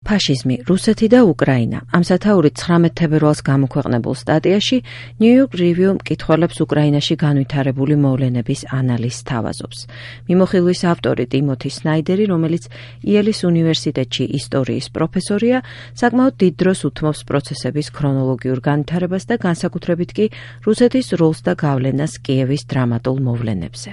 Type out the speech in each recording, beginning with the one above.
ფაშიზმი, რუსეთი და უკრაინა. ამ სათაურით 19 თებერვალს გამოქვეყნებულ სტატიაში New York Review მკითხველებს უკრაინაში განვითარებული მოვლენების ანალიზს თავაზობს. მიმოხილვის ავტორი ტიმოთი სნაიდერი, რომელიც იელის უნივერსიტეტში ისტორიის პროფესორია, საკმაოდ დიდ დროს უთმობს პროცესების ქრონოლოგიურ განვითარებას და განსაკუთრებით კი რუსეთის როლს და გავლენას კიევის დრამატულ მოვლენებზე.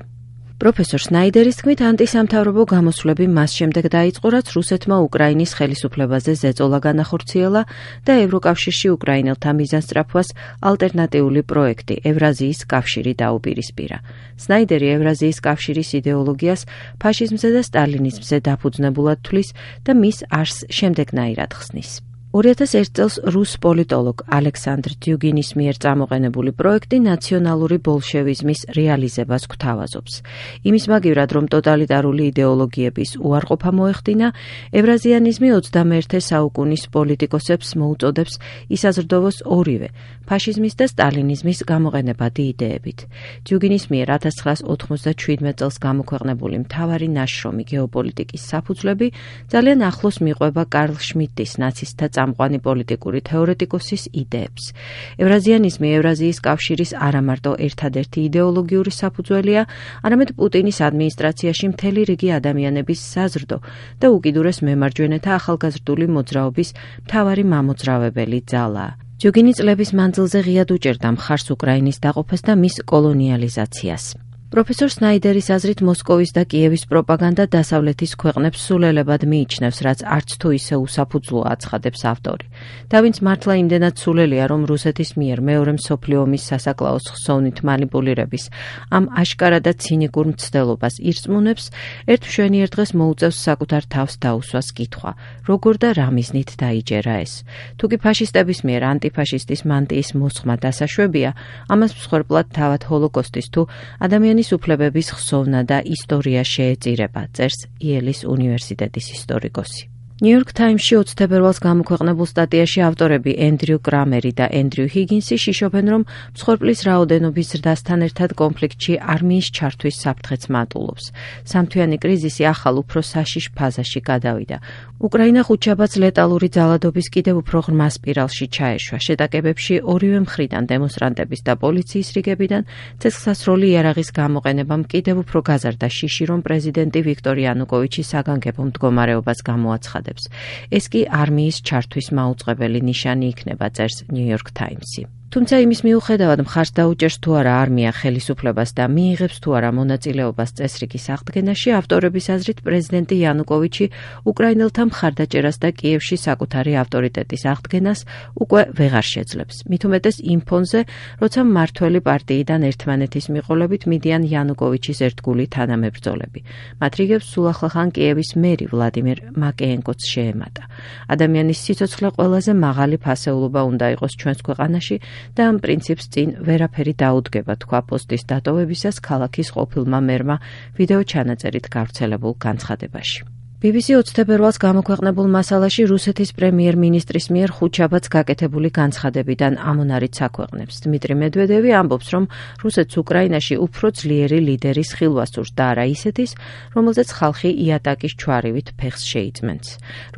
პროფესორ სნაიდერის თქმით, ანტისამთავრობო გამოსვლები მას შემდეგ დაიწყო, რაც რუსეთმა უკრაინის ხელისუფლებაზე ზეწოლა განახორციელა და ევროკავშირში უკრაინელთა მიზანსწრაფვას ალტერნატიული პროექტი ევრაზიის კავშირი დაუპირისპირა. სნაიდერი ევრაზიის კავშირის იდეოლოგიას ფაშიზმზე და სტალინიზმზე დაფუძნებულად თვლის და მის არსს შემდეგნაირად ხსნის. 2001 წელს რუს პოლიტოლოგ ალექსანდრ დიუგინის მიერ წამოყენებული პროექტი ნაციონალური ბოლშევიზმის რეალიზებას გვთავაზობს. იმის მაგივრად, რომ ტოტალიტარული იდეოლოგიების უარყოფა მოეხდინა, ევრაზიანიზმი 21 საუკუნის პოლიტიკოსებს მოუწოდებს ისაზრდოვოს ორივე, ფაშიზმის და სტალინიზმის გამოყენებადი იდეებით. დიუგინის მიერ 1997 წელს გამოქვეყნებული მთავარი ნაშრომი გეოპოლიტიკის საფუძვლები ძალიან ახლოს მიყვება კარლ შმიდტის ნაცისტთა წამყვანი პოლიტიკური თეორეტიკოსის იდეებს. ევრაზიანიზმი ევრაზიის კავშირის არამარტო ერთადერთი იდეოლოგიური საფუძველია, არამედ პუტინის ადმინისტრაციაში მთელი რიგი ადამიანების საზრდო და უკიდურეს მემარჯვენეთა ახალგაზრდული მოძრაობის მთავარი მამოძრავებელი ძალაა. დიუგინი წლების მანძილზე ღიად უჭერდა მხარს უკრაინის დაყოფას და მის კოლონიალიზაციას. პროფესორ სნაიდერის აზრით, მოსკოვის და კიევის პროპაგანდა დასავლეთის ქვეყნებს სულელებად მიიჩნევს, რაც არც თუ ისე უსაფუძვლოა, აცხადებს ავტორი. და ვინც მართლა იმდენად სულელია, რომ რუსეთის მიერ მეორე მსოფლიო ომის სასაკლაოს ხსოვნით манипуლირების ამ აშკარა და ცინიკურ მცდელობას ირწმუნებს, ერთ მშვენიერ დღეს მოუწევს საკუთარ თავს დაუსვას კითხვა, როგორ და რა მიზნით დაიჯერა ეს. თუკი ფაშისტების მიერ ანტიფაშისტის მანტიის მოსხმა დასაშვებია, ამას მსხვერპლად თავად ჰოლოკოსტის თუ ადამიანის უფლებების ხსოვნა და ისტორია შეეწირება, წერს იელის უნივერსიტეტის ისტორიკოსი. New York Times-ში 20 თებერვალს გამოქვეყნებულ სტატიაში ავტორები ენდრიუ კრამერი და ენდრიუ ჰიგინსი შიშობენ, რომ მსხვერპლის რაოდენობის ზრდასთან ერთად კონფლიქტში არმიის ჩართვის საფრთხეც მატულობს. სამთვიანი კრიზისი ახალ უფრო საშიშ ფაზაში გადავიდა. უკრაინა ხუთშაბათს ლეტალური ძალადობის კიდევ უფრო ღრმა სპირალში ჩაეშვა. შეტაკებებში ორივე მხრიდან დემონსტრანტების და პოლიციის რიგებიდან ცეცხლსასროლი იარაღის გამოყენებამ კიდევ უფრო გაზარდა შიში, რომ პრეზიდენტი ვიქტორ იანუკოვიჩი საგანგებო მდგომარეობას გამოაცხადა. ეს კი არმიის ჩართვის მაუწყებელი ნიშანი იქნება, წერს New York Times-ი. თუმცა იმის მიუხედავად მხარს დაუჭერს თუ არა არმია ხელისუფლებას და მიიღებს თუ არა მონაწილეობას წესრიგის აღდგენაში, ავტორების აზრით პრეზიდენტი იანუკოვიჩი უკრაინელთა მხარდაჭერას და კიევში საკუთარი ავტორიტეტის აღდგენას უკვე ვეღარ შეძლებს. მით უმეტეს იმ ფონზე, როცა მმართველი პარტიიდან ერთმანეთის მიყოლებით მიდიან იანუკოვიჩის ერთგული თანამებრძოლები. მათ რიგებს სულ ახლახან კიევის მერი ვლადიმერ მაკეენკოც შეემატა. ადამიანის სიცოცხლე ყველაზე მაღალი ფასეულობა უნდა იყოს ჩვენს ქვეყანაში და ამ პრინციპს წინ ვერაფერი დაუდგება, თქვა პოსტის დატოვებისას ქალაქის ყოფილმა მერმა ვიდეო ჩანაწერით გავრცელებულ განცხადებაში. BBC 20 თებერვალს გამოქვეყნებულ მასალაში რუსეთის პრემიერ-მინისტრის მიერ ხუთშაბათს გაკეთებული განცხადებიდან ამონარით აქვეყნებს. დმიტრი მედვედევი ამბობს, რომ რუსეთს უკრაინაში უფრო ძლიერი ლიდერის ხილვა სურს და არა ისეთის, რომელზეც ხალხი იატაკის ჩვარივით ფეხს შეიწმენს.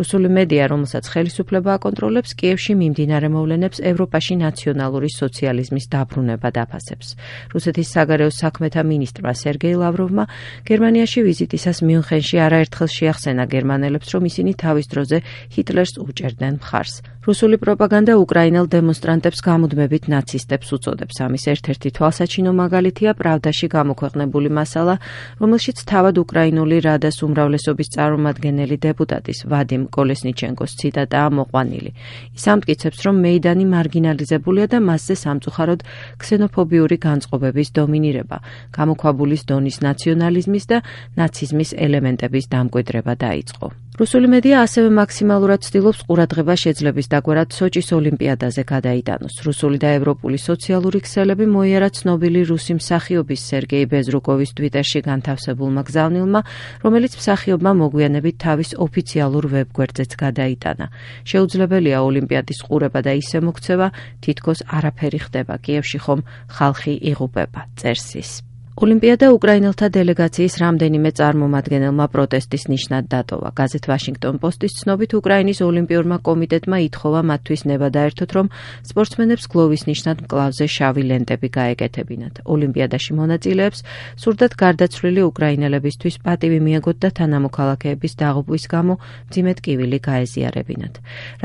რუსული მედია, რომელსაც ხელისუფლება აკონტროლებს, კიევში მიმდინარე მოვლენებს ევროპაში ნაციონალური სოციალიზმის დაბრუნება დაფასებს. რუსეთის საგარეო საქმეთა მინისტრმა სერგეი ლავროვმა გერმანიაში ვიზიტისას მიუნხენში არაერთხელ შეახსენა გერმანელებს, რომ ისინი თავის დროზე ჰიტლერს უჭერდნენ მხარს. რუსული პროპაგანდა უკრაინელ დემონსტრანტებს გამუდმებით ნაცისტებს უწოდებს. ამის ერთ-ერთი თვალსაჩინო მაგალითია პრავდაში გამოქვეყნებული მასალა, რომელშიც თავად უკრაინული რადას უმრავლესობის წარმომადგენელი დეპუტატის ვადიმ კოლესნიჩენკოს ციტატაა მოყვანილი. ის ამტკიცებს, რომ მეიდანი მარგინალიზებულია და მასზე სამწუხაროდ ქსენოფობიური განწყობების დომინირება, გამოქვაბულის დონის ნაციონალიზმის და ნაციზმის ელემენტების დამკვიდრება დაიწყო. რუსული მედია ასევე მაქსიმალურად ცდილობს ყურადღება შეძლების დაგვარად სოჭის ოლიმპიადაზე გადაიტანოს. რუსული და ევროპული სოციალური ქსელები მოიარა ცნობილი რუსი მსახიობის სერგეი ბეზრუკოვის ტვიტერში განთავსებულმა გზავნილმა, რომელიც მსახიობმა მოგვიანებით თავის ოფიციალურ ვებგვერდზეც გადაიტანა. შეუძლებელია ოლიმპიადის ყურება და ისე მოქცევა, თითქოს არაფერი ხდება კიევში, ხომ ხალხი იღუპება, წერს ის. ოლიმპიადა უკრაინელთა დელეგაციის რამდენიმე წარმომადგენელმა პროტესტის ნიშნად დატოვა. გაზეთ ვაშინგტონ პოსტის ცნობით უკრაინის ოლიმპიურმა კომიტეტმა ითხოვა მათთვის ნება დაერთოთ, რომ სპორტსმენებს გლოვის ნიშნად მკლავზე შავი ლენტები გაეკეთებინათ. ოლიმპიადაში მონაწილეებს სურდათ გარდაცვლილი უკრაინელებისთვის პატივი მიაგოთ და თანამოქალაქეების დაღუპვის გამო მძიმე ტკივილი გაეზიარებინათ.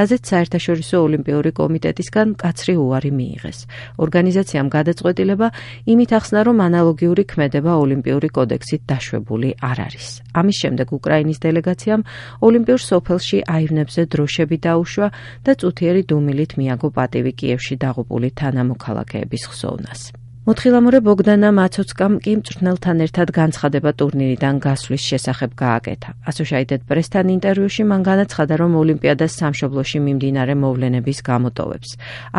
რაზეც საერთაშორისო ოლიმპიური კომიტეტისგან მკაცრი უარი მიიღეს. ორგანიზაციამ გადაწყვეტილება იმით ახსნა, რომ ანალოგიური ქმედება ოლიმპიური კოდექსით დაშვებული არ არის. ამის შემდეგ უკრაინის დელეგაციამ ოლიმპიურ სოფელში აივნებზე დროშები დაუშვა და წუთიერი დუმილით მიაგო პატივი კიევში დაღუპული თანამოქალაქეების ხსოვნას. მოთხილამურე ბოგდანა მაცოცკამ კი მწვრთნელთან ერთად განცხადება ტურნირიდან გასვლის შესახებ გააკეთა. Associated Press-თან ინტერვიუში მან განაცხადა, რომ ოლიმპიადას სამშობლოში მიმდინარე მოვლენების გამოტოვებს.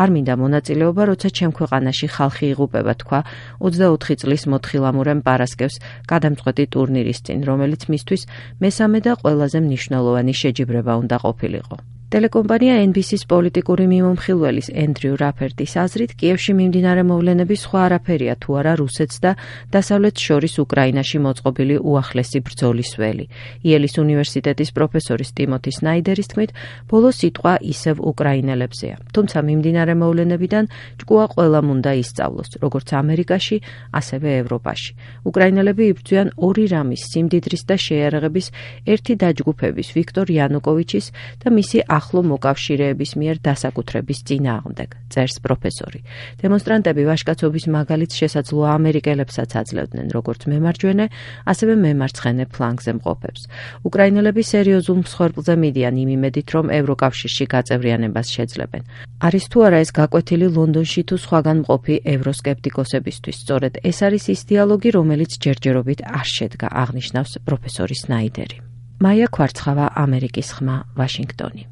არ მინდა მონაწილეობა, როცა ჩემ ქვეყანაში ხალხი იღუპება, თქვა 24 წლის მოთხილამურემ პარასკევს გადამწყვეტი ტურნირის წინ, რომელიც მისთვის მესამე და ყველაზე მნიშვნელოვანი შეჯიბრება უნდა ყოფილიყო. ტელეკომპანია NBC-ს პოლიტიკური მიმომხილველის ენდრიუ რაფერტის აზრით, კიევში მიმდინარე მოვლენები სხვა არაფერია თუ არა რუსეთს და დასავლეთს შორის უკრაინაში მოწყობილი უახლესი ბრძოლის ველი. იელის უნივერსიტეტის პროფესორის ტიმოთი სნაიდერის თქმით, ბოლო სიტყვა ისევ უკრაინელებზეა. თუმცა მიმდინარე მოვლენებიდან ჭკუა ყველამ უნდა ისწავლოს, როგორც ამერიკაში, ასევე ევროპაში. უკრაინელები იბრძვიან ორი რამის, სიმდიდრის და შეიარაღების ერთი დაჯგუფების, ვიქტორ იანუკოვიჩის და მისი ახლო მოკავშირეების მიერ დასაკუთრების წინააღმდეგ, წერს პროფესორი. დემონსტრანტები ვაჟკაცობის მაგალითს შესაძლოა ამერიკელებსაც აძლევდნენ, როგორც მემარჯვენე, ასევე მემარცხენე ფლანგზე მყოფებს. უკრაინელები სერიოზულ მსხვერპლზე მიდიან იმ იმედით, რომ ევროკავშირში გაწევრიანებას შეძლებენ. არის თუ არა ეს გაკვეთილი ლონდონში თუ სხვაგან მყოფი ევროსკეპტიკოსებისთვის. სწორედ ეს არის ის დიალოგი, რომელიც ჯერჯერობით არ შედგა, აღნიშნავს პროფესორი სნაიდერი. მაია ქვარცხავა, ამერიკის ხმა, ვაშინგტონი.